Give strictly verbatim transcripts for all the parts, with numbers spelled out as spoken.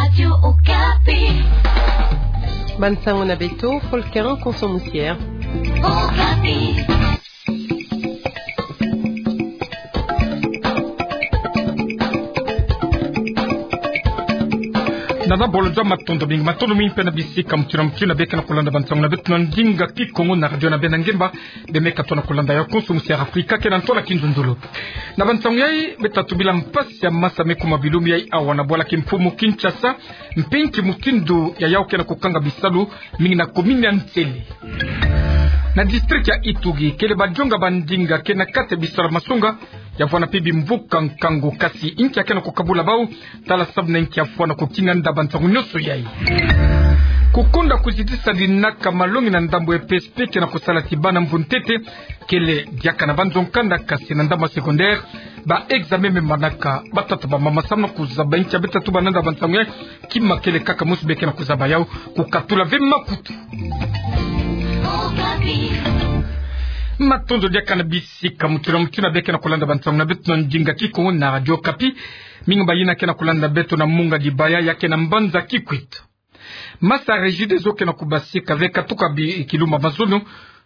Radio Okapi. Bansango na beto, Folker Konso Musier. Okapi. Nana bolo za matondo mingi, matondo mingi mpe na bisika mutindu na mutindu bie ke na kulanda bansango na beto na ndinga Kikongo na radio na beno ngemba. Bie me katuka na kulanda yau Konso Musier Afrika ke na ntwala kinzonzolo. Na bansango yai, beta tubila mpasi ya masa me kuma bilumbu yai awa na bwala kimfumu Kinshasa, mpinki mutindu ya yau ke na kukanga bisalu, mingi na commune ya Nsele. Na district ya Ituri, kele bajonga bandinga ke na kati ya bisalu ya masonga, ya vwanda mpe bimvuka nkangu, kasi inki ya ke na kukabula bau? Tala sababu na inki ya vwanda kukinga nda bansango nyonso yai. Kukonda kuzitisa linaka malongi na ndambu ya E P S P ke na kusala ti bana mvu ntete, kele diaka na banzo nkanda, kasi na ndambu ya secondaire, ba examen me manaka. Batata bamama, samu na kuzaba inki ya beta tubana nda bansango yai, kima kele kaka mosi bie ke na kuzaba yau, kukatula ve makutu. Matondo diaka na bisika mutindu na mutindu bie ke na kulanda bansango na beto na ndinga Kikongo na radio Okapi. Mingi bayina ke na kulanda beto na munga dibaya ya ke na mbanza Kikwit. Masa Regideso ke na kubasika ve katuka bi kilumbu ya mazono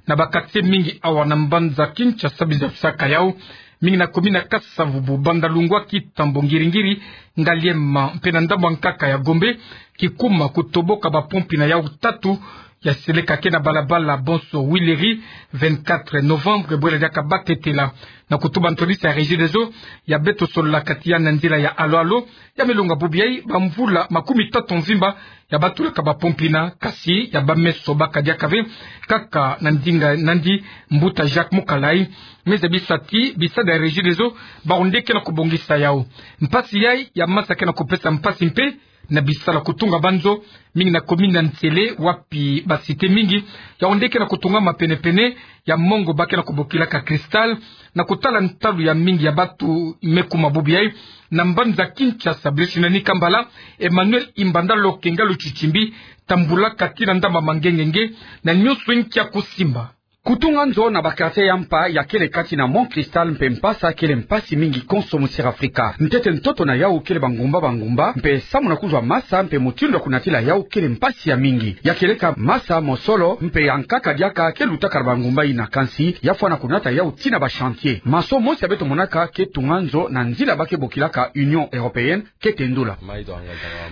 na ba quartier mingi awa na mbanza Kinshasa, biza kusaka yau, mingi na commune ya Kasa-Vubu, Bandalungwa, Kitambo, Ngiri-Ngiri, Ngaliema, mpe na ndambu ya nkaka ya Gombe, kikuma kutoboka bapompi na yau tatu ya seleka ke na balabala bonso Huileries, vingt-quatre novembre, bwela diaka batetela. Na kutuba ntwadisi ya Regideso, ya beto sololaka ti yandi na nzila ya alo-alo, ya me longa bubu yai, bamvula makumi tatu mvimba ya batulaka bapompi yina, kasi ya bamesebaka diaka ve, kaka na ndinga nandi mbuta Jacques Mukalai. Me zabisa ti bisadi ya Regideso, bawu nde ke na kubongisa yau. Mpasi yai ya masa ke na kupesa mpasi mpe na bisalu ya kutunga banzo, mingi na commune ya Nsele, wapi ba cité mingi, yawu nde ke na kutungama pene-pene ya mongo ba ke na kubokilaka cristal, na kutala ntalu ya mingi ya bantu me kuma bubu yai na mbanza Kinshasa. Brice Nani Kambala, Emmanuel Imbanda Lokenga Lutshitshimbi, tambulaka tii na ndambu ya mangengenge, na nyonso inki ya kusimba. Kutunga nzo na ba quartier ya mpa ya kele kati na Mont Cristal mpe Mpasa kele mpasi mingi Konso Musier Afrika. Ntete ntoto na yau kele bangumba-bangumba, mpe samu na kuzwa masa mpe mutindu ya kunatila yau kele mpasi ya mingi. Ya kieleka masa mosolo mpe ya nkaka diaka ke lutaka na bangumba yina, kansi ya fwana kunata yau tii na ba chantier. Maçon mosi ya beto monaka ke tunga nzo na nzila ba ke bokilaka Union Européenne, ke tendula.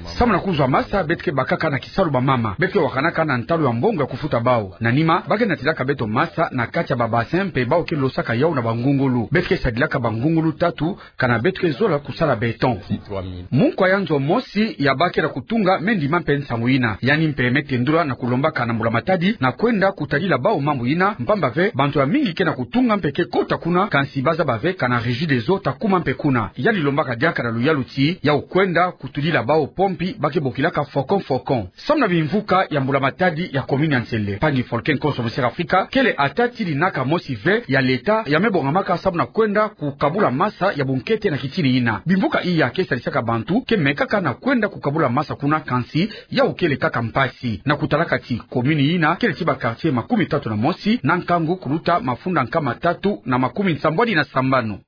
Samu na kuzwa masa, beto ke bakaka na kisalu bamama. Beto ke wakanaka na ntalu ya mbongo ya kufuta bau. Na nima, ba ke natilaka beto masa na kati ya ba bassin mpe bau ke losaka yau na bangungulu. Beto ke sadilaka bangungulu tatu, kana beto ke zola kusala béton. Munkwa ya nzo mosi ya ba ke na kutunga me ndima mpe nsangu yina. Yandi mpe me tendula na kulombaka na mbula matadi na kwenda kutadila bau mambu yina, mpamba ve bantu ya mingi ke na kutunga mpe ke kota kuna, kansi ba zaba ve kana Regideso ta kuma mpe kuna. Yandi lombaka diaka na luyalu ti yau kwenda kutudila bau pompi ba ke bokilaka Faucon Faucon. Samu na bimvuka ya mbula matadi ya commune ya Nsele, mpangi Folken Konso Musier Afrika, kele ata tii linaka mosi ve ya l'État ya me bongamaka samu na kwenda kukabula masa ya bunkete na kitini yina. Bimvuka iya ke sadisaka bantu ke mekaka na kwenda kukabula masa kuna, kansi yau kele kaka mpasi. Na kutalaka ti commune yina kele ti ba quartier makumi tatu na mosi na nkangu kuluta mafunda nkama tatu na makumi nsambwadi na sambanu.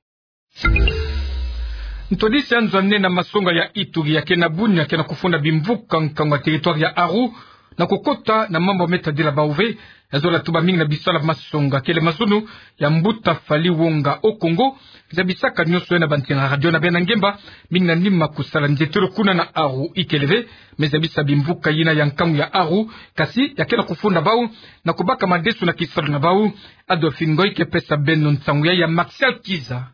Ntwadisi ya nzo ya nne na masonga ya Ituri ya ke na Bunia ke na kufunda bimvuka nkangu ya territoire ya Aru, na kukota na mambu me tadila bau ve. Ya zola tuba mingi na bisalu ya masonga kele mazono ya mbuta Fally Wonga au Congo. Zabisaka nyonso yai na bantinga radio na beno ngemba, mingi na nima kusala nzietelo kuna na Aru ikele ve. Me zabisa bimvuka yina ya nkangu ya Aru, kasi ya ke na kufunda bau na kubaka madesu na kisalu na bau. Adolphine Ngoy ke pesa beno nsangu yai ya Martial Kiza.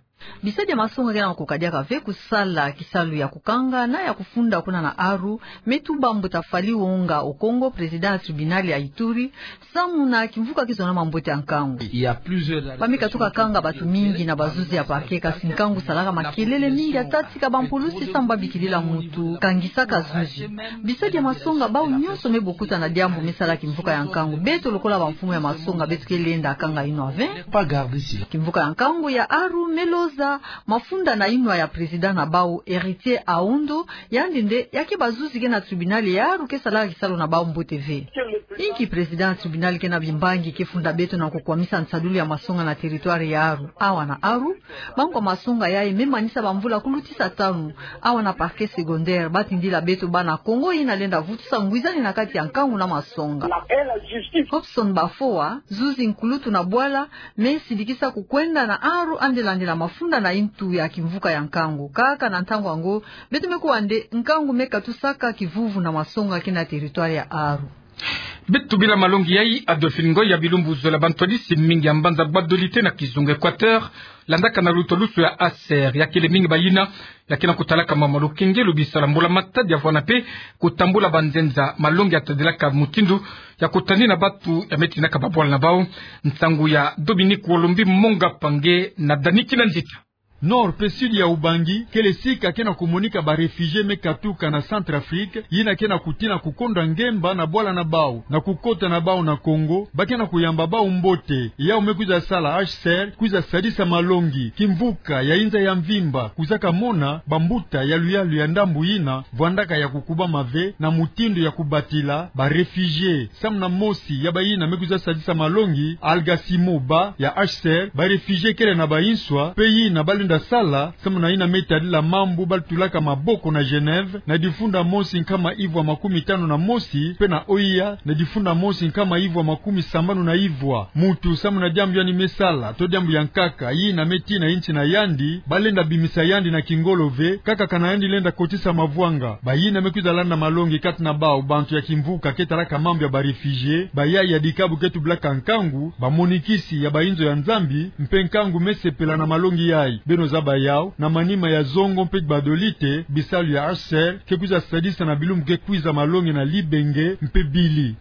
Bisadi ya masonga ke na kukadiaka ve kusala kisalu ya kukanga na ya kufunda kuna na Aru, me tuba mbuta Fally Wonga au Congo, président ya tribunal ya Ituri, samu na kimvuka kizona mambote ya nkangu. Ba me katuka kanga bantu mingi na bazuzi ya parquet, kasi nkangu salaka makelele mingi, ata tika bampulusi samu ba bikilila muntu kangisaka zuzi. Bisadi ya masonga bau nyonso me bokuta na diambu me sala kimvuka ya nkangu. Beto lokola bamfumu ya masonga, beto ke lenda kanga yino ve. Kimvuka ya nkangu ya Aru me lozi Za mafunda na inwa ya président na bau Héritier Aondo, yandi nde ya ke bazuzi ke na tribunal ya aru ke salaka kisalu na bau mbote ve. Inki président ya tribunal ke na bimbangi ke funda beto na kukwamisa nsadulu ya masonga na territoire ya aru? Awa na aru, bangu ya masonga yayi me manisa bamvula kulutisa tanu, awa na parquet secondaire, ba tindila beto bana Kongo yina lenda vutusa ngwizani na kati ya nkangu na masonga. Hobson Bafoa, zuzi nkulutu na bwala, me sidikisa kukwenda na aru andi landila mafunda na intu ya kimvuka ya nkangu. Kaka na ntangu yango, beto me kuwa nde nkangu me katusaka kivuvu na masonga ke na territoire ya aru. Beto bila malongi yayi, Adolphine Ngoy, ya bilumbu zole, bantwadisi mingi ya mbanza Gbadolite na kizunga Équateur, landaka na luto lusu ya H C R, ya kele mingi bayina ya ke na kutalaka mama lukengelo bisalu ya mbula-matadi ya vwanda mpe kutambula banzenza. Malongi ya tadilaka mutindu ya kutani na bantu ya me tinaka babwala na bau. Nsangu ya Dominique Wolombi Monga Pange na Dani Kinanzita. Nord mpe sud ya Ubangi kele sika ke na kumonika ba réfugiés me katuka na Centrafrique, yina ke na kutina kukonda ngemba na bwala na bau na kukota na bau na Congo. Ba ke na kuyamba bau mbote. Yau me kwiza sala H C R kwiza sadisa malongi kimvuka ya inza ya mvimba, kwizaka mona bambuta ya luyalu ya ndambu yina vwandaka ya kukubama ve na mutindu ya kubatila ba réfugiés. Samu na mosi ya bayina me kwiza sadisa malongi, Algasimo Ba ya H C R, ba réfugiés kele na banswa, mpe yina ba lenda sala samu na yina me tadila mambu ba lutulaka maboko na Genève, na difunda mosi nkama ivwa makumi tanu na mosi, mpe na O I A, na difunda mosi nkama ivwa makumi sambanu na ivwa. Mutu samu na diambu yandi me sala, to diambu ya nkaka, yina me tina insi na yandi, ba lenda bimisa yandi na kingolo ve, kaka kana yandi lenda kotisa mavwanga. Bayina me kwiza landa malongi kati na bau, bantu ya kimvuka ke talaka mambu ya ba réfugiés, bayayi ya dikabu ke tubilaka nkangu, bamonikisi ya bainzo ya Nzambi, mpe nkangu me sepela na malongi yayi. Beno zaba yau, na manima ya Zongo mpe Gbadolite, bisalu ya H C R ke kwiza sadisa na bilumbu ke kwiza malongi na Libenge mpe Bili.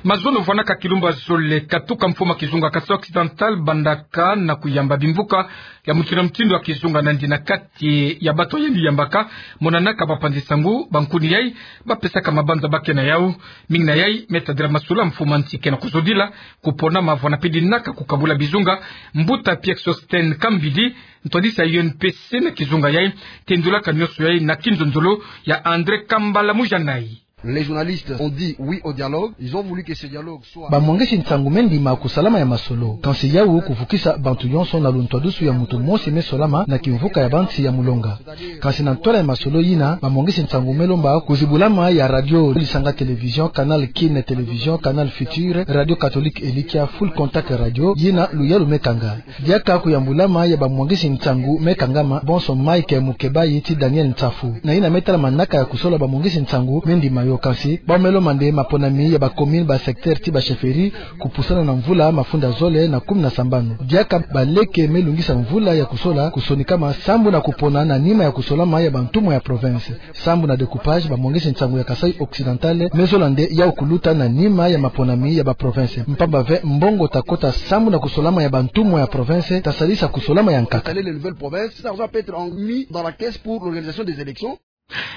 Mazono vwanaka kilumbu ya zole katuka mfumu ya kizunga Kasaï Occidental bandaka na kuyamba bimvuka ya mutindu na mutindu ya kizunga nandi na kati ya bantu ya yandi yambaka, monanaka bapanzi nsangu, bankuni yayi ba pesaka mabanza ba ke na yau. Mingi na yayi me tadila masolo ya mfumu ya nsi ke na kuzodila, kupona mavwanda mpe dinaka kukabula bizunga. Mbuta Pierre Sostène Kambidi, ntwadisi ya U N P C na kizunga yayi, tendulaka nionso yayi na kinzonzolo ya André Kambala Mujanayi. Les journalistes ont dit oui au dialogue, ils ont voulu que ce dialogue soit... Bamwangisi nsangu me ndima kusalama ya masolo, kansi yau kuvukisa bantu yonso na luntwadusu ya mutu mosi me solama na kimvuka ya bansi ya mulonga. Kansi na ntwala ya masolo yina, bamwangisi nsangu me lomba kuzibulama ya radio Lisanga Télévision, Canal Kin Télévision, Canal Futur, Radio Catholique Elikia, Full Contact Radio, yina luyalu me kanga. Diaka kuyambulama ya bamwangisi nsangu me kangama, bonso Mike Mukebayi ti Daniel Nsafu. Na yina me tala manaka ya kusola, bamwangisi nsangu me ndima yo, kansi bau me lomba nde maponami ya ba commune, ba secteur ti ba chefferie kupusana na mvula mafunda zole na kumi na sambanu. Diaka baleke me lungisa mvula ya kusola kusonikama sambu na kupona na nima ya kusolama ya bantumwa ya province. Sambu na découpage, bamwangisi nsangu ya Kasaï Occidental me zola nde yau kuluta na nima ya maponami ya ba province. Mpamba ve mbongo ta kota sambu na kusolama ya bantumwa ya province ta sadisa kusolama ya nkaka. Les nouvelles provinces, cet argent peut être en-, mis dans la caisse pour l'organisation des élections.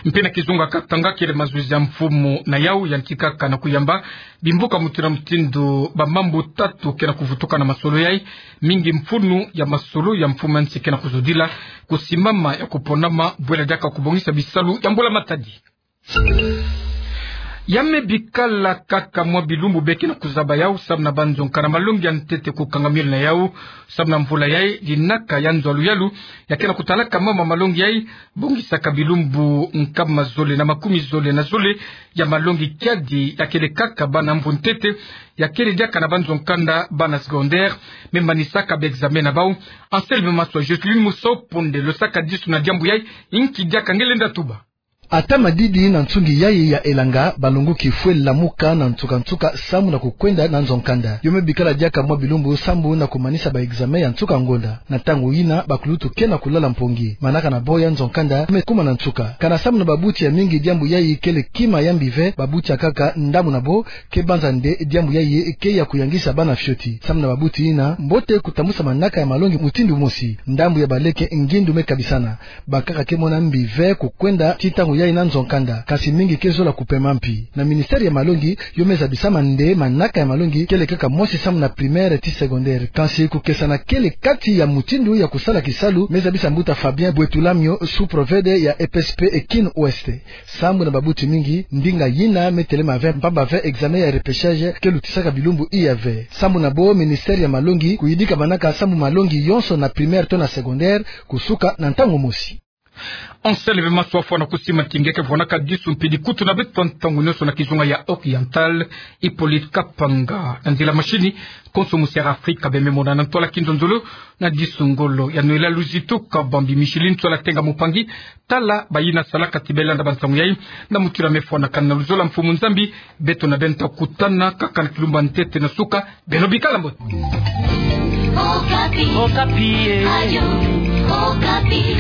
Mpe na kizunga Katanga kele mazuzi ya mfumu na yau yantikaka na kuyamba bimvuka mutindu na mutindu. Bamambu tatu ke na kuvutuka na masolo yayi. Mingi mfunu ya masolo ya mfumu ya nsi ke na kuzodila: kusimbama ya kuponama, bwela diaka kubongisa bisalu ya mbula matadi. Ya me bikala kaka mwa bilumbu be ke na kuzaba yau, samu na banzo nkanda malongi ya ntete kukanga miole na yau, samu na mvula yayi, dinaka ya nzo ya luyalu ya ke na kutalaka mama malongi yayi, bongisaka bilumbu nkama zole na makumi zole na zole ya malongi kiadi ya kele kaka bana mvu ntete, ya kele diaka na banzo nkanda bana secondaire, me manisaka ba examen na bau. Anselme Maswa, Joseline Musopo nde losaka disu na diambu yayi, inki diaka nge lenda tuba. Ata madidi na nsungi yayi ya elanga, balonguki fwe lamuka na nsuka-nsuka sambu na kukwenda na nzo nkanda. Yo me bikala diaka mwa bilumbu sambu na kumanisa ba examen ya nsuka ngonda. Na ntangu yina, bakulutu ke na kulala mpongi. Manaka na bo ya nzo nkanda me kuma na nsuka. Kana sambu na babuti ya mingi diambu yayi kele kima ya mbi ve, babuti ya nkaka ndambu na bo ke banza nde diambu yayi ke ya kuyangisa bana fioti. Sambu na babuti yina, mbote kutambusa manaka ya malongi mutindu mosi. Ndambu ya baleke ngindu me kabisana. Bankaka ke mona mbi ve kukwenda ti ntangu ya ina nzo kanda, kansi mingi ke zola kupema mpi. Na ministère ya malongi, yo me zabisa mande manaka ya malongi kele kaka mosi sambu na primaire ti secondaire. Kansi kukesana kele kati ya mutindu ya kusala kisalu, me zabisa mbuta Fabien Bwetula Mio, sous-préfet ya E P S P Kin Ouest. Sambu na babuti mingi, ndinga yina me telema ve mpamba ve examen ya repêchage ke lutisaka bilumbu iya ve. Sambu na bo, ministère ya malongi kuyidika manaka sambu malongi yonso na primaire to na secondaire kusuka na ntangu mosi. Anselme Maswa fwana kusimanti nge ke vwanaka disu mpidi kutu na beto ntangu nionso na kizunga ya Oriental, Hippolyte Kapanga. Na nzila mashini, konso musi ya Afrika bembe monana ntwala kinzonzolo na disu ngolo ya Noëlla Luzitu Kabambi Micheline, ntwala Tenga Mupangi, tala bayina salaka ti belanda bansangu yayi, na mutura mefwanakana na luzolo ya Mfumu Nzambi, beto na beno ta kutana kaka na kilumbu ya ntete na suka, beno bikala mbote. Okapi. Okapi, eh. Radio Okapi.